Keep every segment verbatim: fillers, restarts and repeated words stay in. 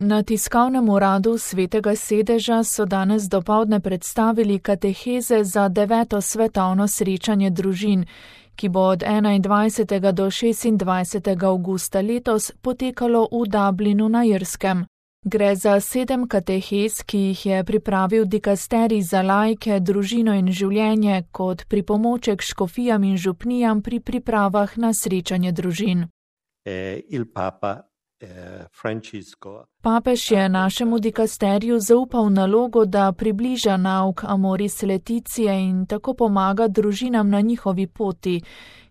Na tiskovnem uradu Svetega sedeža so danes dopoldne predstavili kateheze za deveto svetovno srečanje družin, ki bo od enaindvajsetega do šestindvajsetega avgusta letos potekalo v Dublinu na Irskem. Gre za sedem katehez, ki jih je pripravil dikasterij za laike, družino in življenje kot pripomoček škofijam in župnijam pri pripravah na srečanje družin. Eh, il Papa eh, Francisco. Papež je našemu dikasteriju zaupal nalogo, da približa nauk Amoris Laetitia in tako pomaga družinam na njihovi poti,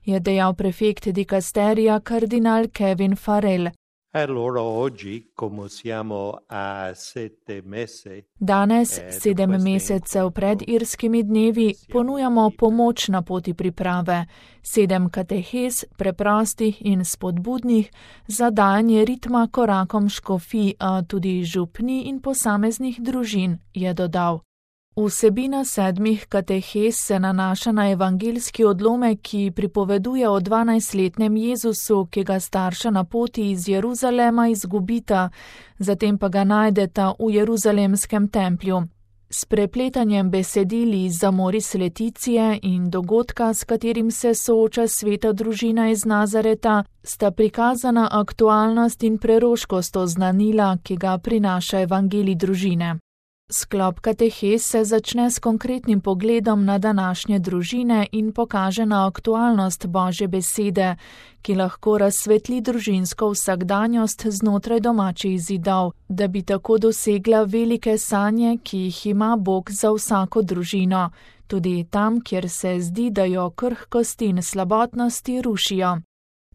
je dejal prefekt dikasterija kardinal Kevin Farrell. Allora oggi, come siamo a sette mesi, Danes, sedem mesecev pred irskimi dnevi, ponujamo pomoč na poti priprave, sedem katehez, preprostih in spodbudnih, za dajanje ritma korakom škofij, a tudi župni in posameznih družin, je dodal. Vsebina sedmih katehez se nanaša na evangeljski odlomek, ki pripoveduje o dvanajstletnem Jezusu, ki ga starša na poti iz Jeruzalema izgubita, zatem pa ga najdeta v Jeruzalemskem templju. S prepletanjem besedil iz Amoris Laetitia in dogodka, s katerim se sooča sveta družina iz Nazareta, sta prikazana aktualnost in preroškost oznanila, ki ga prinaša evangelij družine. Sklop katehez se začne s konkretnim pogledom na današnje družine in pokaže na aktualnost Božje besede, ki lahko razsvetli družinsko vsakdanjost znotraj domačih zidov, da bi tako dosegla velike sanje, ki jih ima Bog za vsako družino, tudi tam, kjer se zdi, da jo krhkosti in slabotnosti rušijo.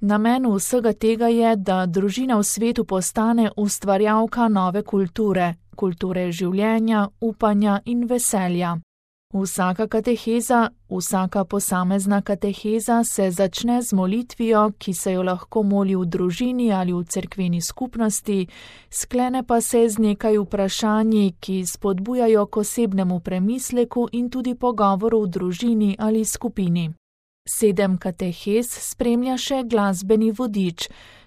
Namen vsega tega je, da družina v svetu postane ustvarjalka nove kulture, kulture življenja, upanja in veselja. Vsaka kateheza, vsaka posamezna kateheza se začne z molitvijo, ki se jo lahko moli v družini ali v cerkveni skupnosti, sklene pa se z nekaj vprašanji, ki spodbujajo k osebnemu premisleku in tudi pogovoru v družini ali skupini. Sedem katehez spremlja še glasbeni vodič.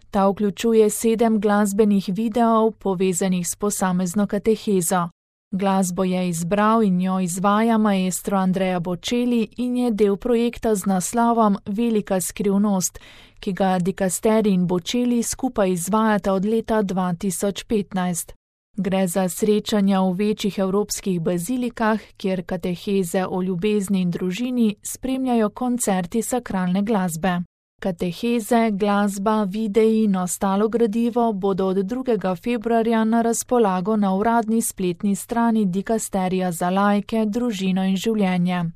Ta vključuje sedem glasbenih videov, povezanih s posamezno katehezo. Glasbo je izbral in jo izvaja maestro Andrea Bocelli in je del projekta z naslovom Velika skrivnost, ki ga dikasterij in Bocelli skupaj izvajata od leta dva tisoč petnajst. Gre za srečanja v večjih evropskih bazilikah, kjer kateheze o ljubezni in družini spremljajo koncerti sakralne glasbe. Kateheze, glasba, videi in ostalo gradivo bodo od drugega februarja na razpolago na uradni spletni strani dikasterija za laike, družino in življenje.